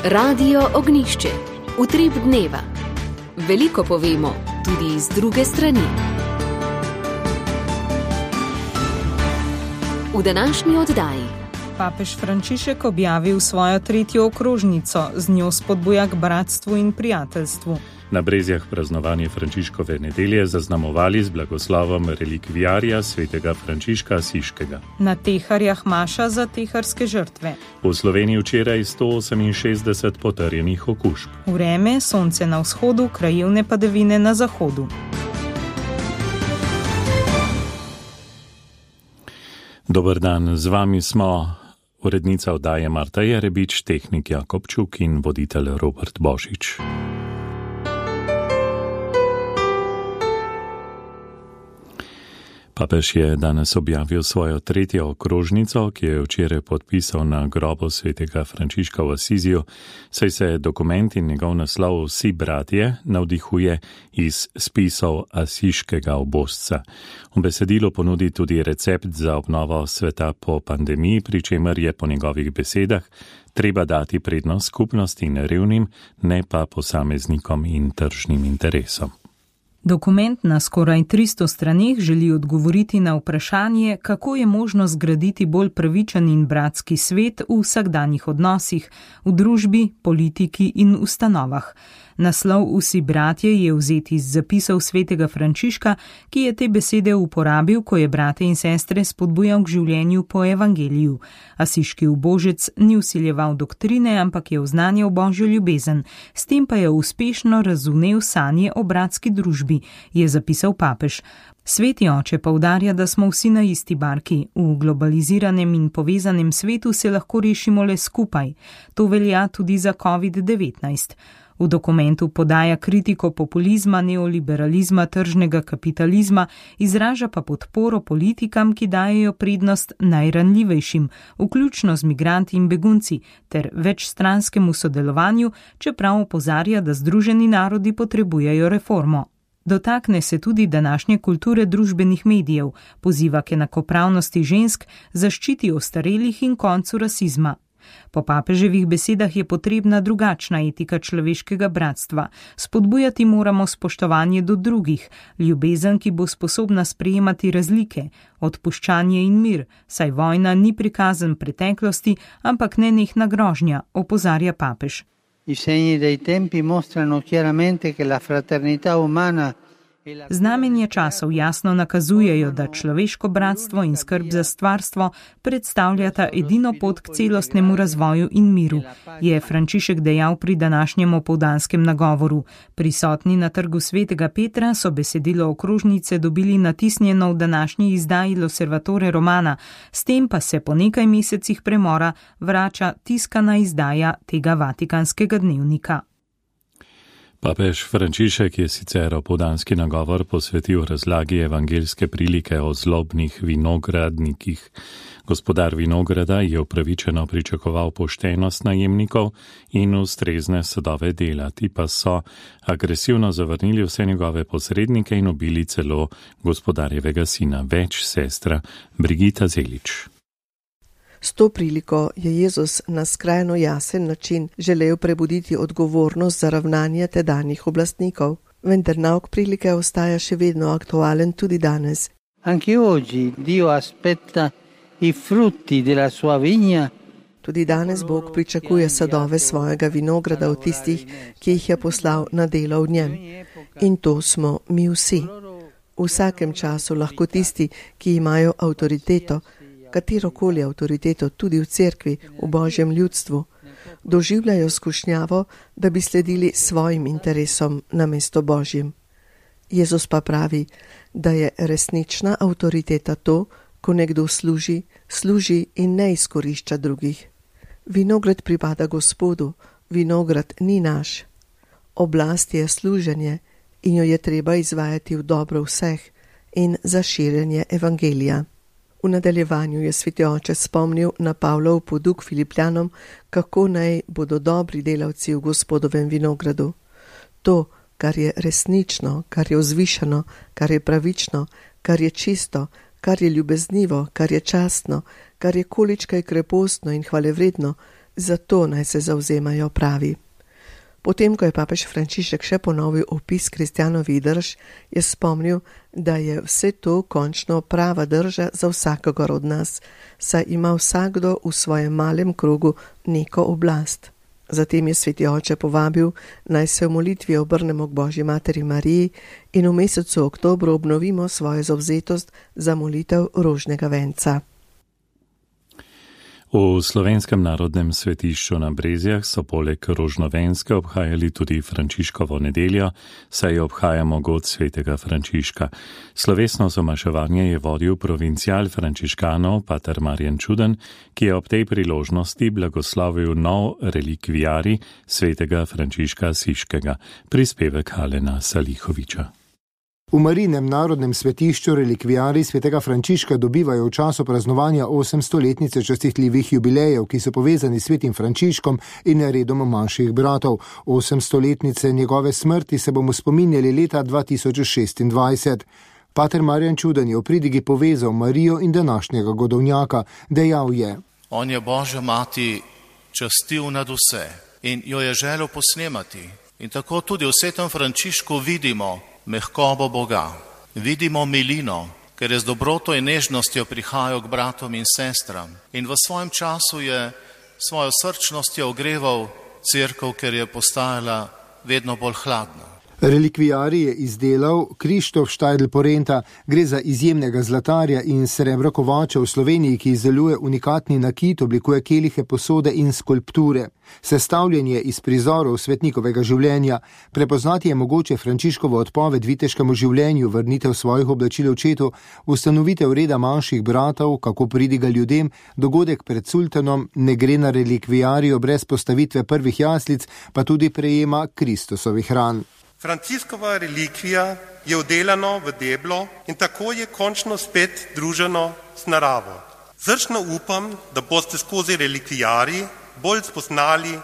Radio Ognišče, utrip dneva. Veliko povemo, tudi z druge strani. V današnji oddaji. Papež Frančišek objavil svojo 3. okrožnico, z njo spodbuja k bratstvu in prijateljstvu. Na Brezjah praznovanje Frančiškove nedelje zaznamovali z blagoslovom relikvijarja svetega Frančiška Asiškega. Na Teharjah maša za teharske žrtve. V Sloveniji včeraj 168 potrjenih okužb. Vreme, sonce na vzhodu, krajevne padavine na zahodu. Dober dan, z vami smo urednica oddaje Marta Jerebič, tehnik Jakob Čuk in voditelj Robert Božič. Papež je danes objavil svojo 3. okrožnico, ki je včeraj podpisal na grobu svetega Frančiška v Asiziju, saj se dokument in njegov naslov Vsi bratje navdihuje iz spisov asiškega obozca. V besedilu ponudi tudi recept za obnovo sveta po pandemiji, pri čemer je po njegovih besedah treba dati prednost skupnosti in revnim, ne pa posameznikom in tržnim interesom. Dokument na skoraj 300 straneh želi odgovoriti na vprašanje, kako je možno zgraditi bolj pravičen in bratski svet v vsakdanjih odnosih, v družbi, politiki in ustanovah. Naslov Vsi bratje je vzet iz zapisov svetega Frančiška, ki je te besede uporabil, ko je brate in sestre spodbujal k življenju po evangeliju. Asiški ubožec ni vsiljeval doktrine, ampak je oznanjal Božjo ljubezen, s tem pa je uspešno razumel sanje o bratski družbi, je zapisal papež. Sveti oče poudarja, da smo vsi na isti barki. V globaliziranem in povezanem svetu se lahko rešimo le skupaj. To velja tudi za COVID-19. V dokumentu podaja kritiko populizma, neoliberalizma, tržnega kapitalizma, izraža pa podporo politikam, ki dajejo prednost najranljivejšim, vključno z migranti in begunci, ter večstranskemu sodelovanju, čeprav opozarja, da Združeni narodi potrebujejo reformo. Dotakne se tudi današnje kulture družbenih medijev, poziva k enakopravnosti žensk, zaščiti ostarelih in koncu rasizma. Po papeževih besedah je potrebna drugačna etika človeškega bratstva. Spodbujati moramo spoštovanje do drugih, ljubezen, ki bo sposobna sprejemati razlike, odpuščanje in mir, saj vojna ni prikazan preteklosti, ampak nenehna grožnja, opozarja papež. I segni dei tempi mostrano chiaramente che la fraternità umana. Znamenja časov jasno nakazujejo, da človeško bratstvo in skrb za stvarstvo predstavljata edino pot k celostnemu razvoju in miru, je Frančišek dejal pri današnjem opoldanskem nagovoru. Prisotni na trgu svetega Petra so besedilo okrožnice dobili natisnjeno v današnji izdaji L'Osservatore Romana, s tem pa se po nekaj mesecih premora vrača tiskana izdaja tega vatikanskega dnevnika. Papež Frančišek je sicer opoldanski nagovor posvetil razlagi evangeljske prilike o zlobnih vinogradnikih. Gospodar vinograda je upravičeno pričakoval poštenost najemnikov in ustrezne sadove dela, ti pa so agresivno zavrnili vse njegove posrednike in ubili celo gospodarjevega sina, več sestra Brigita Zelič. S to priliko je Jezus na skrajno jasen način želel prebuditi odgovornost za ravnanje tedanjih oblastnikov, vendar nauk prilike ostaja še vedno aktualen tudi danes. Anche oggi Dio aspetta i frutti della sua vigna. Tudi danes Bog pričakuje sadove svojega vinograda od tistih, ki jih je poslal na delo v njem. In to smo mi vsi. V vsakem času lahko tisti, ki imajo avtoriteto, katerokoli avtoriteto tudi v cerkvi, v Božjem ljudstvu, doživljajo skušnjavo, da bi sledili svojim interesom namesto Božjim. Jezus pa pravi, da je resnična avtoriteta to, ko nekdo služi in ne izkorišča drugih. Vinograd pripada Gospodu, vinograd ni naš. Oblast je služenje in jo je treba izvajati v dobro vseh in za širjenje evangelija. V nadaljevanju je sveti oče spomnil na Pavlov poduk Filipljanom, kako naj bodo dobri delavci v Gospodovem vinogradu. To, kar je resnično, kar je vzvišeno, kar je pravično, kar je čisto, kar je ljubeznivo, kar je častno, kar je količkaj krepostno in hvalevredno, Zato naj se zavzemajo, pravi. Potem, ko je papež Frančišek še ponovil opis kristjanovih drž, je spomnil, da je vse to končno prava drža za vsakogar od nas, saj ima vsakdo v svojem malem krogu neko oblast. Zatem je sveti oče povabil, naj se v molitvi obrnemo k Božji materi Mariji in v mesecu oktobru obnovimo svojo zavzetost za molitev rožnega venca. V Slovenskem narodnem svetišču na Brezjah so poleg rožnovenske obhajali tudi Frančiškovo nedeljo, saj obhajamo god svetega Frančiška. Slovesno zamaševanje je vodil provincial frančiškanov pater Marjan Čuden, ki je ob tej priložnosti blagoslovil nov relikviari svetega Frančiška Asiškega, prispevek Alena Salihoviča. V Marijinem narodnem svetišču relikviari svetega Frančiška dobivajo v času praznovanja 800-letnice častitljivih jubilejev, ki so povezani s svetim Frančiškom in redom manjših bratov. 800-letnice njegove smrti se bomo spominjali leta 2026. Pater Marjan Čuden je v pridigi povezal Marijo in današnjega godovnjaka. Dejal je: On je Božja mati častil nad vse in jo je želel posnemati. In tako tudi v svetem Frančišku vidimo mehkobo Boga, vidimo milino, ker je z dobroto in nežnostjo prihajal k bratom in sestram. In v svojem času je svojo srčnostjo ogreval cerkev, ker je postajala vedno bolj hladna. Relikviari je izdelal Krištof Štajdl Porenta. Gre za izjemnega zlatarja in srebrokovača v Sloveniji, ki izdeluje unikatni nakit, oblikuje kelihe, posode in skulpture. Sestavljen je iz prizorov svetnikovega življenja. Prepoznati je mogoče Frančiškovo odpoved viteškemu življenju, vrnitev svojih oblačil očetu, ustanovitev reda manjših bratov, kako pridiga ljudem, dogodek pred sultanom, ne gre na relikviarijo brez postavitve prvih jaslic, pa tudi prejema Kristusovih ran. Franciskova relikvija je vdelano v deblo in tako je končno spet druženo s naravo. Zrčno upam, da boste skozi relikvijari bolj spoznali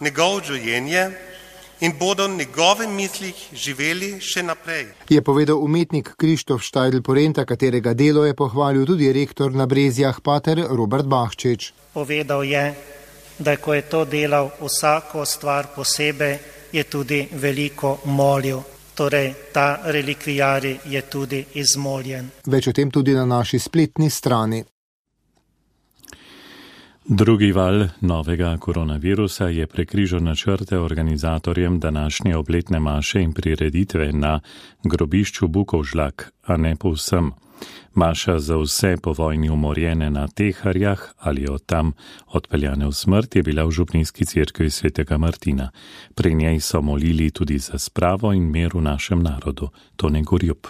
njegov življenje in bodo njegove mislih živeli še naprej. Je povedal umetnik Krištof Štajdl Porenta, katerega delo je pohvalil tudi rektor na Brezjah, pater Robert Bahčič. Povedal je, da ko je to delal vsako stvar posebej, je tudi veliko molil. Torej, ta relikviari je tudi izmoljen. Več o tem tudi na naši spletni strani. Drugi val novega koronavirusa je prekrižal načrte organizatorjem današnje obletne maše in prireditve na grobišču Bukovžlak, a ne povsem. Maša za vse po vojni umorjene na Teharjah ali od tam odpeljane v smrt je bila v župnijski cerkvi svetega Martina. Pri njej so molili tudi za spravo in mir v našem narodu. Tone Gorjup.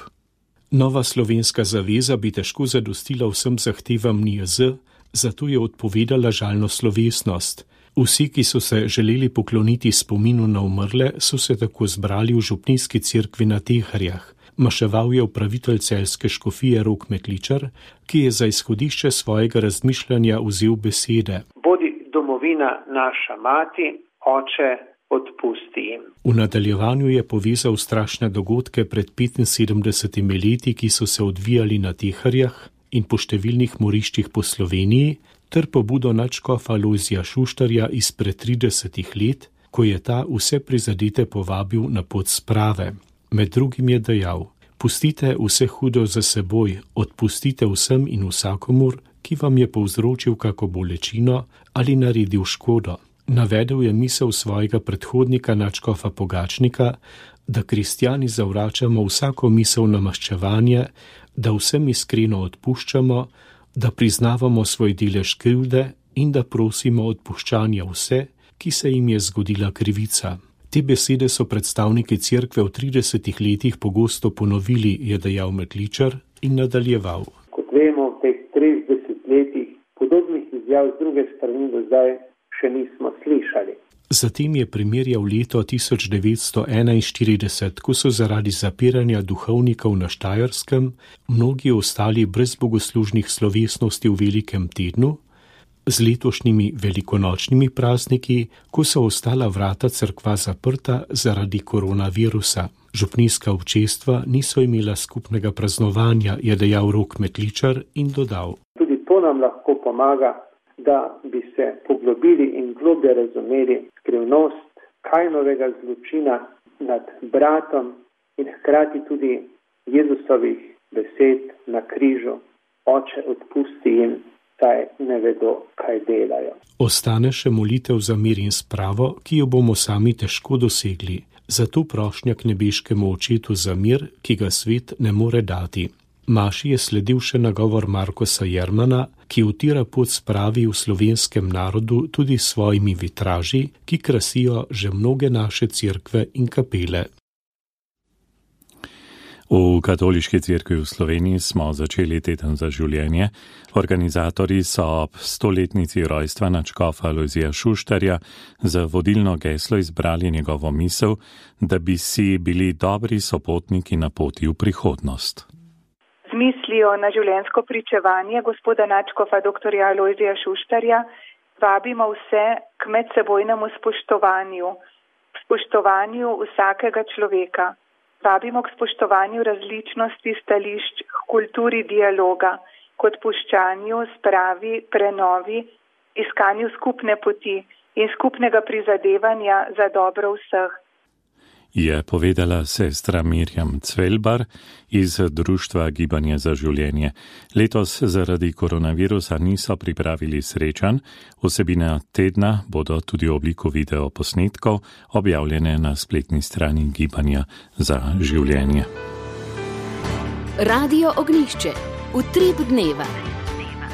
Nova slovenska zaveza bi težko zadostila vsem zahtevam NIJZ, zato je odpovedala žalno slovesnost. Vsi, ki so se želeli pokloniti spominu na umrle, so se tako zbrali v župnijski cerkvi na Teharjah. Maševal je upravitelj celjske škofije Rok Metličar, ki je za izhodišče svojega razmišljanja vzel besede. Bodi domovina naša mati, oče, odpusti jim. V nadaljevanju je povezal strašne dogodke pred 75 leti, ki so se odvijali na Teharjah in po številnih moriščih po Sloveniji, ter pobudo nadškofa Lojzija Šuštarja izpred 30 let, ko je ta vse prizadete povabil na pot sprave. Med drugim je dejal: pustite vse hudo za seboj, odpustite vsem in vsakomur, ki vam je povzročil kako bolečino ali naredil škodo. Navedel je misel svojega predhodnika nadškofa Pogačnika, da kristjani zavračamo vsako misel na maščevanje, da vsem iskreno odpuščamo, da priznavamo svoj delež krivde in da prosimo odpuščanja vse, ki se jim je zgodila krivica. Te besede so predstavniki cerkve v 30 letih pogosto ponovili, je dejal Metličar in nadaljeval. Kot vemo, v teh 30 letih podobnih izjav z druge strani do zdaj še nismo slišali. Zatem je primerjal leto 1941, ko so zaradi zapiranja duhovnikov na Štajerskem mnogi ostali brez bogoslužnih slovesnosti v velikem tednu, z letošnjimi velikonočnimi prazniki, ko so ostala vrata cerkva zaprta zaradi koronavirusa. Župnijska občestva niso imela skupnega praznovanja, je dejal Rok Metličar in dodal. Tudi to nam lahko pomaga, da bi se poglobili in globlje razumeli skrivnost Kainovega zločina nad bratom in hkrati tudi Jezusovih besed na križu: Oče, odpusti jim, saj ne vedo, kaj delajo. Ostane še molitev za mir in spravo, ki jo bomo sami težko dosegli. Zato prošnja k nebeškemu Očetu za mir, ki ga svet ne more dati. Maši je sledil še nagovor Markosa Jermana, ki utira pot spravi v slovenskem narodu tudi s svojimi vitraži, ki krasijo že mnoge naše cerkve in kapele. V Katoliški cerkvi v Sloveniji smo začeli teden za življenje. Organizatorji so ob 100-letnici rojstva nadškofa Lojzija Šuštarja za vodilno geslo izbrali njegovo misel, da bi si bili dobri sopotniki na poti v prihodnost. Z mislijo na življenjsko pričevanje gospoda nadškofa dr. Lojzija Šuštarja vabimo vse k medsebojnemu spoštovanju vsakega človeka. Vabimo k spoštovanju različnosti stališč, k kulturi dialoga, k odpuščanju, spravi, prenovi, iskanju skupne poti in skupnega prizadevanja za dobro vseh. Je povedala sestra Mirjam Cvelbar iz Društva Gibanje za življenje. Letos zaradi koronavirusa niso pripravili srečanj, vsebine tedna bodo tudi v obliku videoposnetkov objavljene na spletni strani Gibanja za življenje. Radio Ognjišče. Utrip dneva.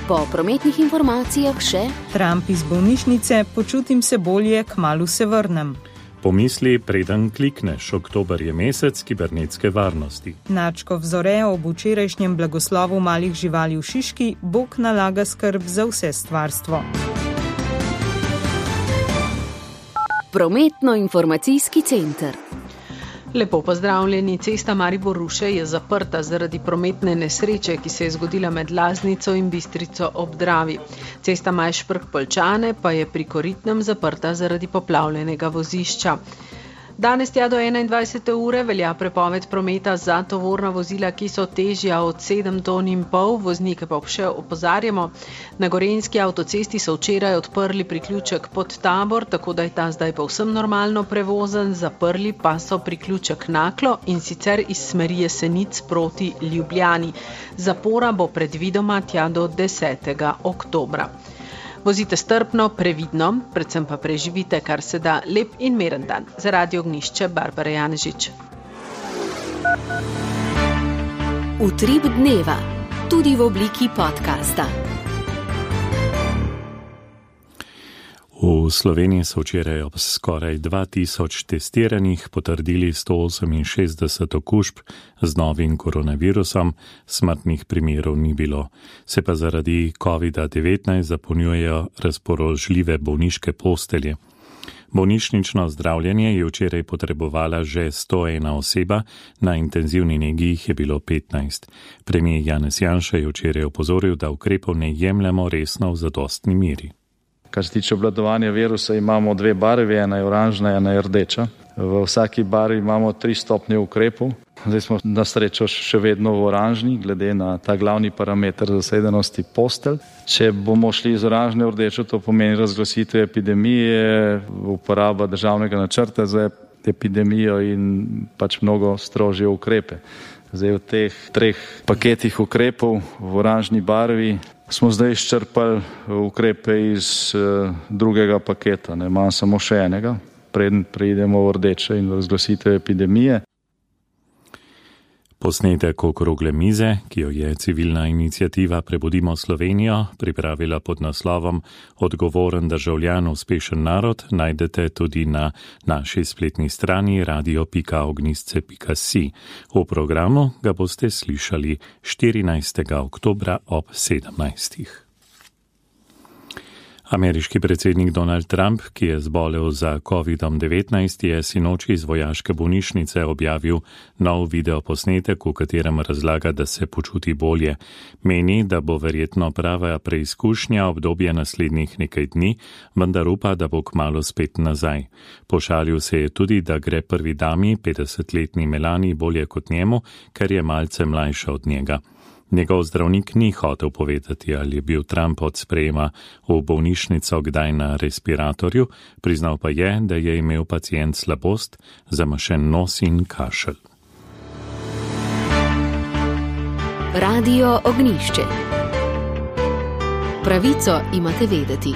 Po prometnih informacijah še Trump iz bolnišnice, počutim se bolje, kmalu se vrnem. Pomisli, preden klikneš, oktober je mesec kibernetske varnosti. Nadškof Zore ob včerajšnjem blagoslovu malih živali v Šiški, Bog nalaga skrb za vse stvarstvo. Prometno-informacijski center. Lepo pozdravljeni, cesta Maribor-Ruše je zaprta zaradi prometne nesreče, ki se je zgodila med Laznico in Bistrico ob Dravi. Cesta Majšperk-Poljčane pa je pri Koritnem zaprta zaradi poplavljenega vozišča. Danes tja do 21. ure velja prepoved prometa za tovorna vozila, ki so težja od 7,5 ton, voznike pa še opozarjamo. Na Gorenjski avtocesti so včeraj odprli priključek pod Tabor, tako da je ta zdaj povsem normalno prevozen, zaprli pa so priključek Naklo in sicer iz smeri Jesenic proti Ljubljani. Zapora bo predvidoma tja do 10. oktobra. Vozite strpno, previdno, predvsem pa preživite kar se da lep in miren dan. Za Radio Ognjišče, Barbara Janežič. Utrip dneva, tudi v obliki podcasta. V Sloveniji so včeraj ob skoraj 2000 testiranih potrdili 168 okužb z novim koronavirusom, smrtnih primerov ni bilo. Se pa zaradi COVID-19 zapolnjujejo razpoložljive bolniške postelje. Bolnišnično zdravljenje je včeraj potrebovala že 101 oseba, na intenzivni negi jih je bilo 15. Premier Janez Janša je včeraj opozoril, da ukrepov ne jemljemo resno v zadostni meri. Kar se tiče obvladovanja virusa, imamo dve barvi, ena je oranžna, ena je rdeča. V vsaki barvi imamo 3 stopnje ukrepov. Zdaj smo na srečo še vedno v oranžni, glede na ta glavni parameter zasedenosti postelj. Če bomo šli iz oranžne v rdečo, to pomeni razglasitev epidemije, uporaba državnega načrta za epidemijo in pač mnogo strožje ukrepe. Zdaj v teh 3 paketih ukrepov v oranžni barvi smo zdaj izčrpali ukrepe iz drugega paketa, ne imam samo še enega, preden preidemo v rdeče in razglasitev epidemije. Posnetek okrogle mize, ki jo je civilna iniciativa Prebudimo Slovenijo pripravila pod naslovom Odgovoren državljan, uspešen narod, najdete tudi na naši spletni strani radio.ognjisce.si. V programu ga boste slišali 14. oktobra ob 17. Ameriški predsednik Donald Trump, ki je zbolel za COVID-19, je sinoči iz vojaške bolnišnice objavil nov videoposnetek, v katerem razlaga, da se počuti bolje. Meni, da bo verjetno prava preizkušnja obdobje naslednjih nekaj dni, vendar upa, da bo kmalu spet nazaj. Pošalil se je tudi, da gre prvi dami, 50-letni Melani, bolje kot njemu, ker je malce mlajša od njega. Njegov zdravnik ni hotel povedati, ali je bil Trump od sprejema v bolnišnico kdaj na respiratorju, priznal pa je, da je imel pacient slabost, zamašen nos in kašelj. Radio Ognišče. Pravico imate vedeti.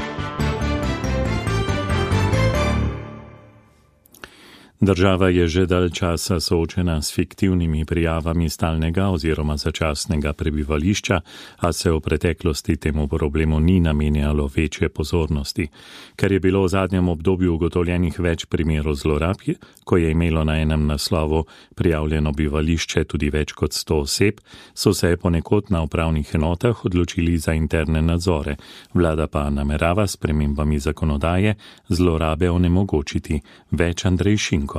Država je že dalj časa soočena s fiktivnimi prijavami stalnega oziroma začasnega prebivališča, a se v preteklosti temu problemu ni namenjalo večje pozornosti. Ker je bilo v zadnjem obdobju ugotovljenih več primerov zlorab, ko je imelo na enem naslovu prijavljeno bivališče tudi več kot 100 oseb, so se ponekod na upravnih enotah odločili za interne nadzore. Vlada pa namerava s spremembami zakonodaje zlorabe onemogočiti. Več Andrej Šinko.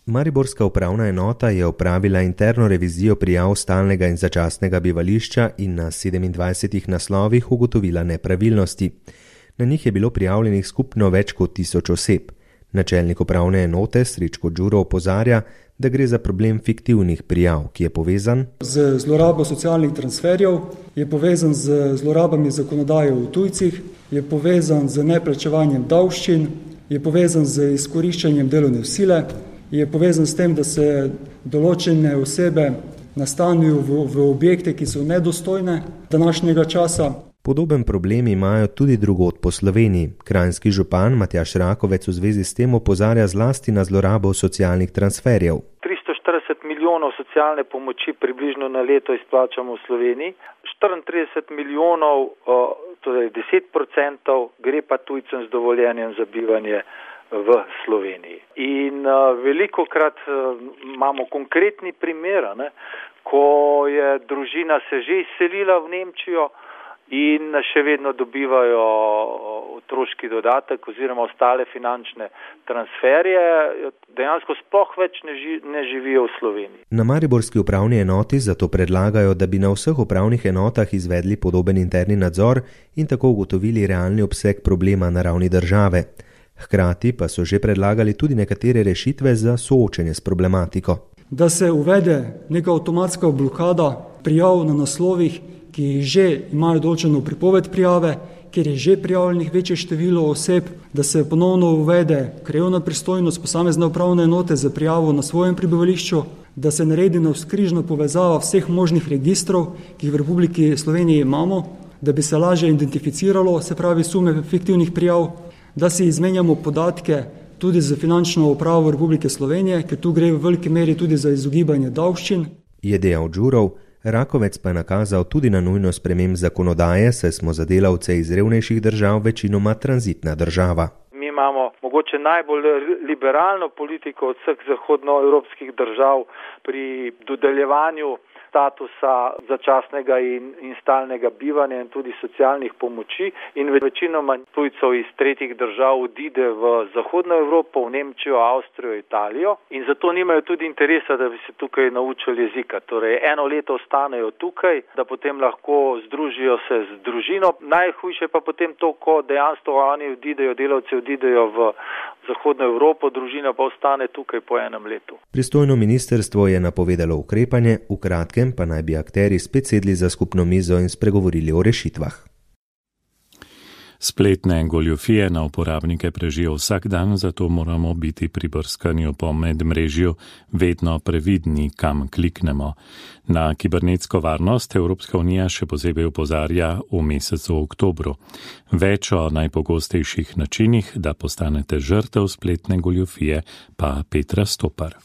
Mariborska upravna enota je opravila interno revizijo prijav stalnega in začasnega bivališča in na 27 naslovih ugotovila nepravilnosti. Na njih je bilo prijavljenih skupno več kot 1000 oseb. Načelnik upravne enote Srečko Đuro opozarja, da gre za problem fiktivnih prijav, ki je povezan z zlorabo socialnih transferjev, je povezan z zlorabami zakonodaje o tujcih, je povezan z neplačevanjem davščin, je povezan z izkoriščanjem delovne sile, je povezan s tem, da se določene osebe nastanijo v objekte, ki so nedostojne današnjega časa. Podoben problem imajo tudi drugod po Sloveniji. Kranjski župan Matjaž Rakovec v zvezi s tem opozarja zlasti na zlorabo socialnih transferjev. 340 milijonov socialne pomoči približno na leto izplačamo v Sloveniji, 34 milijonov, torej 10%, gre pa tujcem z dovoljenjem za bivanje v Sloveniji. In velikokrat imamo konkretni primer, ko je družina se že izselila v Nemčijo in še vedno dobivajo otroški dodatek oziroma ostale finančne transferje, dejansko sploh več ne živijo v Sloveniji. Na mariborski upravni enoti zato predlagajo, da bi na vseh upravnih enotah izvedli podoben interni nadzor in tako ugotovili realni obseg problema na ravni države. Hkrati pa so že predlagali tudi nekatere rešitve za soočenje s problematiko. Da se uvede neka avtomatska blokada prijav na naslovih, ki že imajo določeno pripoved prijave, kjer je že prijavljenih večje število oseb, da se ponovno uvede krajevna pristojnost posamezne upravne enote za prijavo na svojem prebivališču, da se naredi navzkrižna povezava vseh možnih registrov, ki jih v Republiki Sloveniji imamo, da bi se lažje identificiralo, se pravi sume fiktivnih prijav, da si izmenjamo podatke tudi za finančno upravo Republike Slovenije, ker tu gre v veliki meri tudi za izogibanje davščin. Je dejal Đurov, Rakovec pa je nakazal tudi na nujno sprememb zakonodaje, saj smo za delavce iz revnejših držav večinoma tranzitna država. Mi imamo mogoče najbolj liberalno politiko od vseh zahodnoevropskih držav pri dodeljevanju statusa začasnega in stalnega bivanja in tudi socialnih pomoči in večinoma tujcev iz tretjih držav odide v Zahodno Evropo, v Nemčijo, Avstrijo, Italijo in zato nimajo tudi interesa, da bi se tukaj naučili jezika. Torej, 1 leto ostanejo tukaj, da potem lahko združijo se z družino. Najhujše pa potem to, ko dejansko oni odidejo, delavci odidejo v Zahodno Evropo, družina pa ostane tukaj po 1 letu. Pristojno ministrstvo je napovedalo ukrepanje, v kratkem pa naj bi akterji spet sedli za skupno mizo in spregovorili o rešitvah. Spletne goljufije na uporabnike prežijo vsak dan, zato moramo biti pri brskanju po medmrežju vedno previdni, kam kliknemo. Na kibernetsko varnost Evropska unija še posebej opozarja v mesecu oktobru. Več o najpogostejših načinih, da postanete žrtev spletne goljufije, pa Petra Stopar.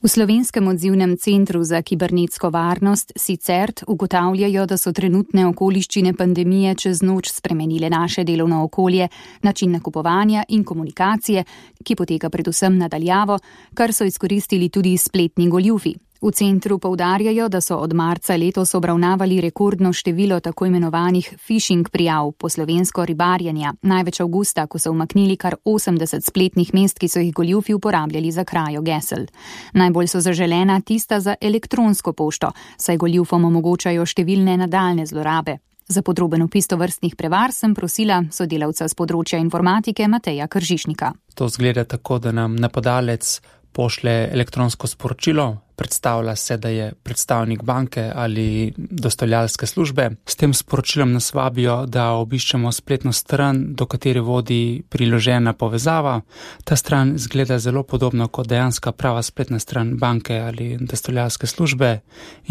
V Slovenskem odzivnem centru za kibernetsko varnost CICERT ugotavljajo, da so trenutne okoliščine pandemije čez noč spremenile naše delovno okolje, način nakupovanja in komunikacije, ki poteka predvsem na daljavo, kar so izkoristili tudi spletni goljufi. V centru poudarjajo, da so od marca letos obravnavali rekordno število tako imenovanih phishing prijav, po slovensko ribarjenja, največ avgusta, ko so umaknili kar 80 spletnih mest, ki so jih goljufi uporabljali za krajo gesel. Najbolj so zaželena tista za elektronsko pošto, saj goljufom omogočajo številne nadaljne zlorabe. Za podroben opis tovrstnih prevar sem prosila sodelavca z področja informatike Mateja Kržišnika. To zgleda tako, da nam napadalec pošlje elektronsko sporočilo, predstavlja se, da je predstavnik banke ali dostavljalske službe. S tem sporočilom nas vabijo, da obiščemo spletno stran, do katere vodi priložena povezava. Ta stran izgleda zelo podobno kot dejanska prava spletna stran banke ali dostavljalske službe.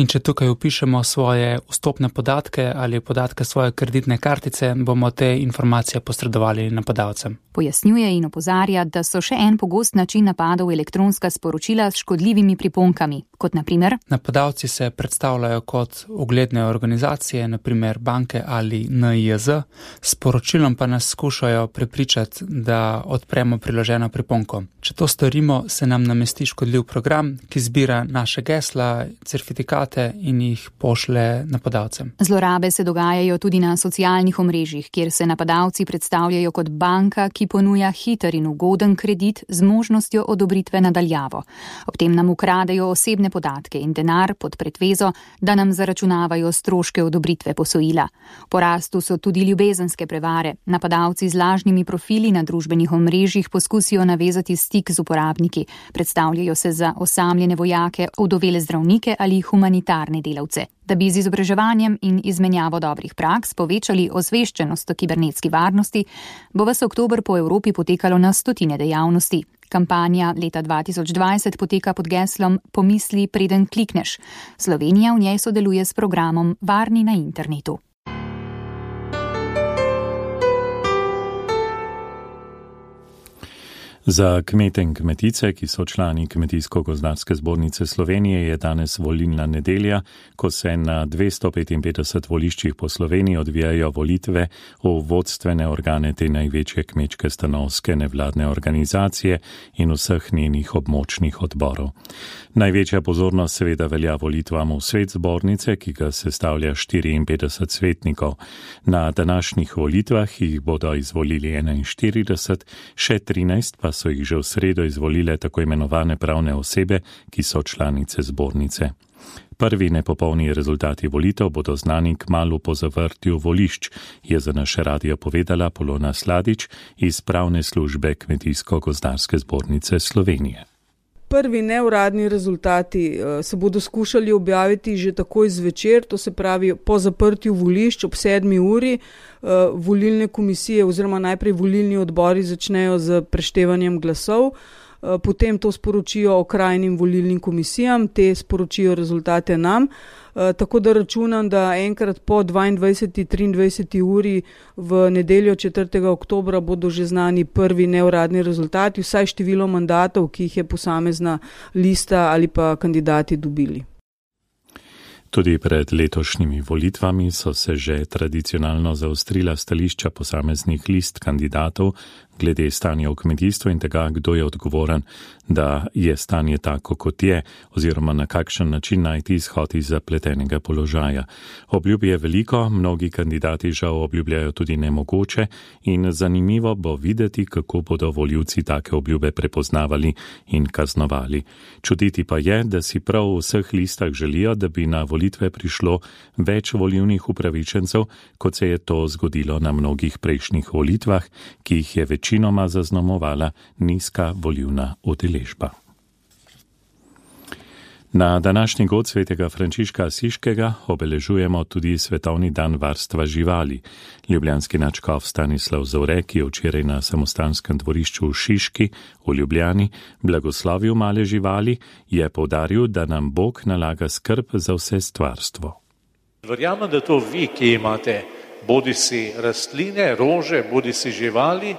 In če tukaj vpišemo svoje vstopne podatke ali podatke svoje kreditne kartice, bomo te informacije posredovali napadalcem. Pojasnjuje in opozarja, da so še en pogost način napadov elektronska sporočila s škodljivimi priponkami, kot na primer: napadalci se predstavljajo kot ugledne organizacije, na primer banke ali NIJZ, s poročilom pa nas skušajo prepričati, da odpremo priloženo priponko. Če to storimo, se nam namesti škodljiv program, ki zbira naše gesla, certifikate in jih pošlje napadalcem. Zlorabe se dogajajo tudi na socialnih omrežjih, kjer se napadalci predstavljajo kot banka, ki ponuja hiter in ugoden kredit z možnostjo odobritve na daljavo. Ob tem nam ukradejo osebne podatke in denar pod pretvezo, da nam zaračunavajo stroške odobritve posojila. V porastu so tudi ljubezenske prevare. Napadalci z lažnimi profili na družbenih omrežjih poskusijo navezati stik z uporabniki. Predstavljajo se za osamljene vojake, ovdovele zdravnike ali humanitarne delavce. Da bi z izobraževanjem in izmenjavo dobrih praks povečali osveščenost o kibernetski varnosti, bo ves oktober po Evropi potekalo na stotine dejavnosti. Kampanja leta 2020 poteka pod geslom Pomisli, preden klikneš. Slovenija v njej sodeluje s programom Varni na internetu. Za kmete in kmetice, ki so člani Kmetijsko-gozdarske zbornice Slovenije, je danes volilna nedelja, ko se na 255 voliščih po Sloveniji odvijajo volitve v vodstvene organe te največje kmečke stanovske nevladne organizacije in vseh njenih območnih odborov. Največja pozornost seveda velja volitvam v svet zbornice, ki ga sestavlja 54 svetnikov. Na današnjih volitvah jih bodo izvolili 41, še 13 pa so jih že v sredo izvolile tako imenovane pravne osebe, ki so članice zbornice. Prvi nepopolni rezultati volitev bodo znani kmalu po zavrtju volišč, je za naše radio povedala Polona Sladič iz pravne službe Kmetijsko-gozdarske zbornice Slovenije. Prvi neuradni rezultati se bodo skušali objaviti že takoj zvečer, to se pravi po zaprtju volišč ob 7. uri. Volilne komisije oziroma najprej volilni odbori začnejo z preštevanjem glasov, potem to sporočijo okrajnim volilnim komisijam, te sporočijo rezultate nam, tako da računam, da enkrat po 22. 23. uri v nedeljo 4. oktobra bodo že znani prvi neuradni rezultati, vsaj število mandatov, ki jih je posamezna lista ali pa kandidati dobili. Tudi pred letošnjimi volitvami so se že tradicionalno zaostrila stališča posameznih list kandidatov glede stanja v kmetijstvu in tega, kdo je odgovoren, da je stanje tako, kot je, oziroma na kakšen način najti izhod iz zapletenega položaja. Obljub je veliko, mnogi kandidati žal obljubljajo tudi nemogoče in zanimivo bo videti, kako bodo volivci take obljube prepoznavali in kaznovali. Čutiti pa je, da si prav v vseh listah želijo, da bi na volitve prišlo več volivnih upravičencev, kot se je to zgodilo na mnogih prejšnjih volitvah, ki jih je večinoma zaznamovala nizka volivna udeležba. Na današnji god svetega Frančiška Asiškega obeležujemo tudi Svetovni dan varstva živali. Ljubljanski nadškof Stanislav Zore, ki je včeraj na samostanskem dvorišču v Šiški v Ljubljani blagoslovil male živali, je poudaril, da nam Bog nalaga skrb za vse stvarstvo. Verjamem, da to vi, ki imate bodisi rastline, rože, bodisi živali,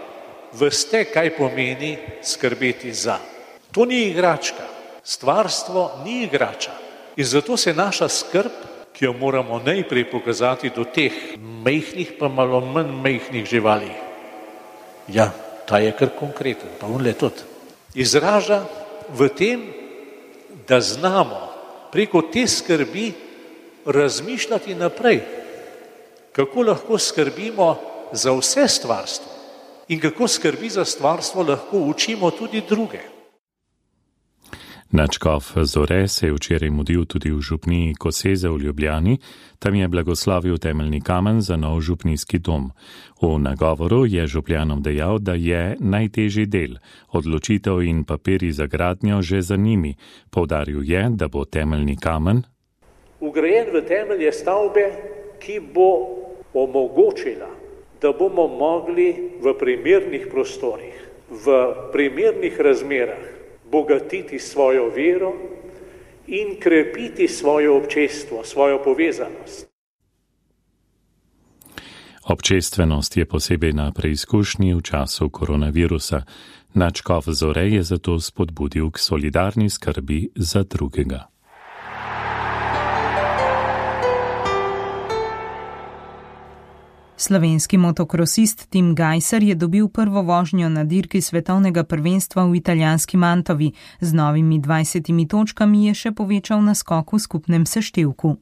veste, kaj pomeni skrbeti za. To ni igračka. Stvarstvo ni igrača. In zato se naša skrb, ki jo moramo najprej pokazati do teh majhnih, pa malo manj majhnih živali. Ja, ta je kar konkreten, pa onle tudi. Izraža v tem, da znamo preko te skrbi razmišljati naprej, kako lahko skrbimo za vse stvarstvo in kako skrbi za stvarstvo lahko učimo tudi druge. Nadškof Zore se je včeraj mudil tudi v župniji Koseze v Ljubljani, tam je blagoslovil temeljni kamen za nov župnijski dom. V nagovoru je župljanom dejal, da je najtežji del, odločitev in papiri za gradnjo že za njimi. Poudaril je, da bo temeljni kamen vgrajen v temelje stavbe, ki bo omogočila, da bomo mogli v primernih prostorih, v primernih razmerah bogatiti svojo vero in krepiti svoje občestvo, svojo povezanost. Občestvenost je posebej na preizkušnji v času koronavirusa. Nadškof Zore je zato spodbudil k solidarni skrbi za drugega. Slovenski motokrosist Tim Gajser je dobil prvo vožnjo na dirki svetovnega prvenstva v italijanski Mantovi. Z novimi 20 točkami je še povečal naskok v skupnem seštevku.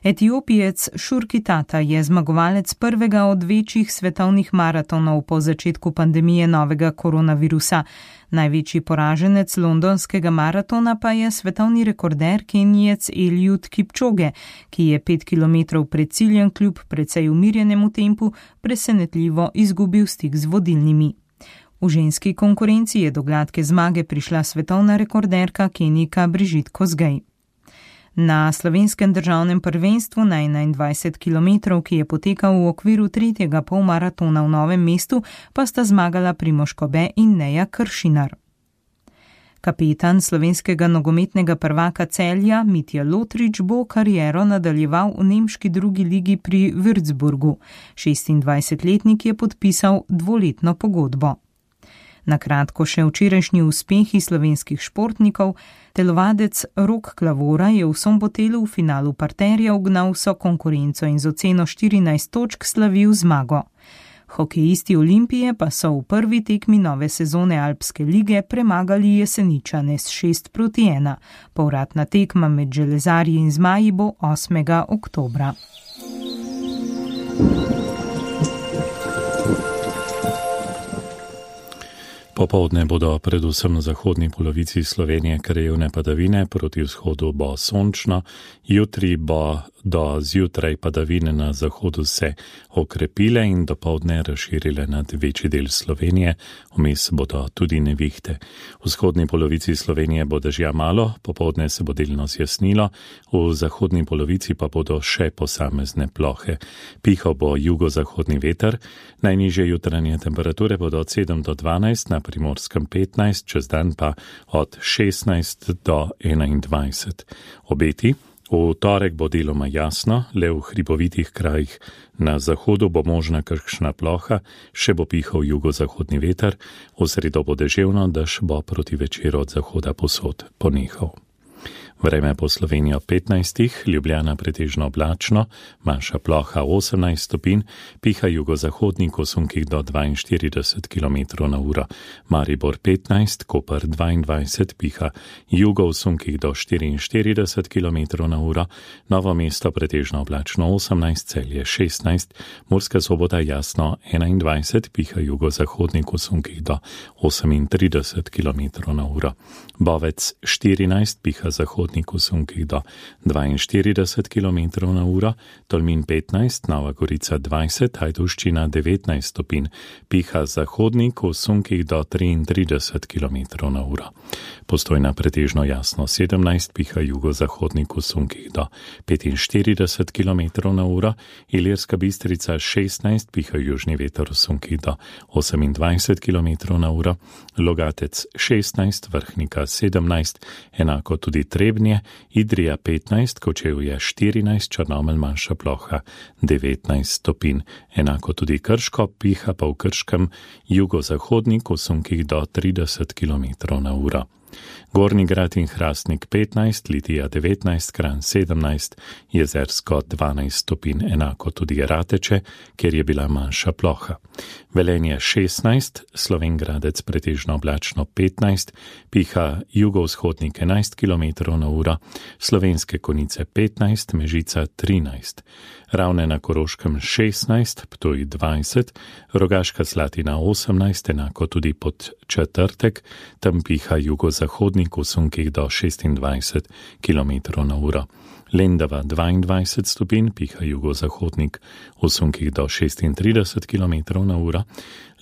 Etiopijec Šurkitata je zmagovalec prvega od večjih svetovnih maratonov po začetku pandemije novega koronavirusa. Največji poraženec londonskega maratona pa je svetovni rekorder Kenijec Eliud Kipchoge, ki je 5 km pred ciljem kljub precej umirjenemu tempu presenetljivo izgubil stik z vodilnimi. V ženski konkurenci je do gladke zmage prišla svetovna rekorderka Kenijka Brigitte Kosgei. Na slovenskem državnem prvenstvu na 21 km, ki je potekal v okviru tretjega polmaratona v Novem mestu, pa sta zmagala Primož Kobe in Neja Kršinar. Kapetan slovenskega nogometnega prvaka Celja Mitja Lotrič bo kariero nadaljeval v nemški drugi ligi pri Würzburgu. 26-letnik je podpisal 2-letno pogodbo. Na kratko še včerajšnji uspehi slovenskih športnikov. Telovadec Rok Klavora je v Sombotelu v finalu parterja ugnal vso konkurenco in z oceno 14 točk slavil zmago. Hokejisti Olimpije pa so v prvi tekmi nove sezone Alpske lige premagali Jeseničane s 6-1. Povratna tekma med železarji in zmaji bo 8. oktobra. Popoldne bodo predvsem na zahodni polovici Slovenije krajevne padavine, proti vzhodu bo sončno, jutri bo do zjutraj padavine na zahodu se okrepile in dopoldne razširile nad večji del Slovenije, vmes bodo tudi nevihte. V vzhodni polovici Slovenije bo dežja malo, popoldne se bo delno zjasnilo, v zahodni polovici pa bodo še posamezne plohe. Pihal bo jugozahodni veter, najnižje jutranje temperature bodo od 7 do 12, na Primorskem 15, čez dan pa od 16 do 21. Obeti. V torek bo deloma jasno, le v hribovitih krajih na zahodu bo možna kakšna ploha, še bo pihal jugozahodni veter, v sredo bo deževno, dež bo proti večeru od zahoda posod ponehal. Vreme po Slovenijo 15, Ljubljana pretežno oblačno, manjša ploha 18 stopinj, piha jugozahodnik v sunkih do 42 km/h, Maribor 15, Koper 22, piha jugo v sunkih do 44 km/h, Novo mesto pretežno oblačno 18, Celje 16, Murska Sobota jasno 21, piha jugozahodnik v sunkih do 38 km/h, Bovec 14, piha zahodnik v sunkih do 42 km/h, Tolmin 15, Nova Gorica 20, Ajdovščina 19 stopinj, piha zahodnik v sunkih do 33 km/h. Postojna pretežno jasno 17, piha jugozahodnik v sunkih do 45 km/h, Ilirska Bistrica 16, piha južni veter v sunkih do 28 km/h, Logatec 16, Vrhnika 17, enako tudi Trebnje, Idrija 15, Kočevje 14, Črnomelj manjša ploha 19 stopinj, enako tudi Krško, piha pa v Krškem jugozahodnik v sunkih do 30 km/h. Gornji Grad in Hrastnik 15, Litija 19, Kranj 17, Jezersko 12 stopinj, enako tudi Rateče, kjer je bila manjša ploha. Velenje 16, Slovenj Gradec pretežno oblačno 15, piha jugovzhodnik 11 km/h, Slovenske Konjice 15, Mežica 13, Ravne na Koroškem 16, Ptuj 20, Rogaška Slatina 18, enako tudi Podčetrtek, tam piha jugozahodnik jugozahodnik v sunkih do 26 km/h. Lendava 22 stopinj, piha jugozahodnik v sunkih do 36 km/h.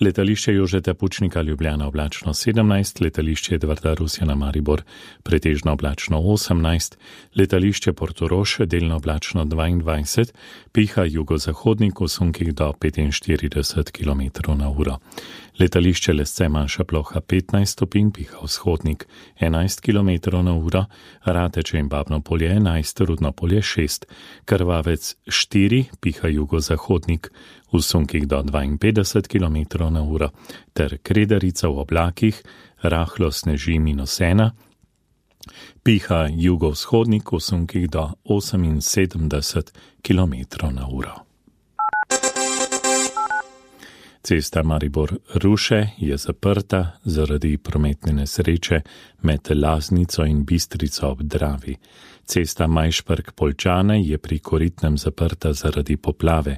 Letališče Jožeta Pučnika Ljubljana oblačno 17, letališče Edvarda Rusjana Maribor pretežno oblačno 18, letališče Portorož delno oblačno 22, piha jugozahodnik v sunkih do 45 km/h. Letališče Lesce manjša ploha 15 stopinj, piha vzhodnik 11 km/h, Rateče in Babno polje 11, Rudno polje 6, Krvavec 4, piha jugozahodnik v sunkih do 52 km/h, ter Kredarica v oblakih, rahlo sneži -1, piha jugovzhodnik v sunkih do 78 km/h. Cesta Maribor-Ruše je zaprta zaradi prometne nesreče med Laznico in Bistrico ob Dravi. Cesta Majšperk-Poljčane je pri Koritnem zaprta zaradi poplave.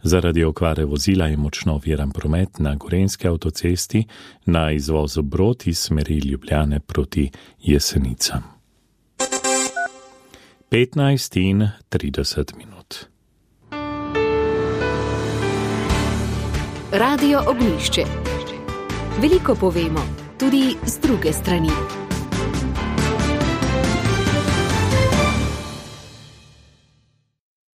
Zaradi okvare vozila je močno oviran promet na Gorenjski avtocesti na izvozu Brod iz smeri Ljubljane proti Jesenicam. 15:30. Radio Ognjišče. Veliko povemo, tudi z druge strani.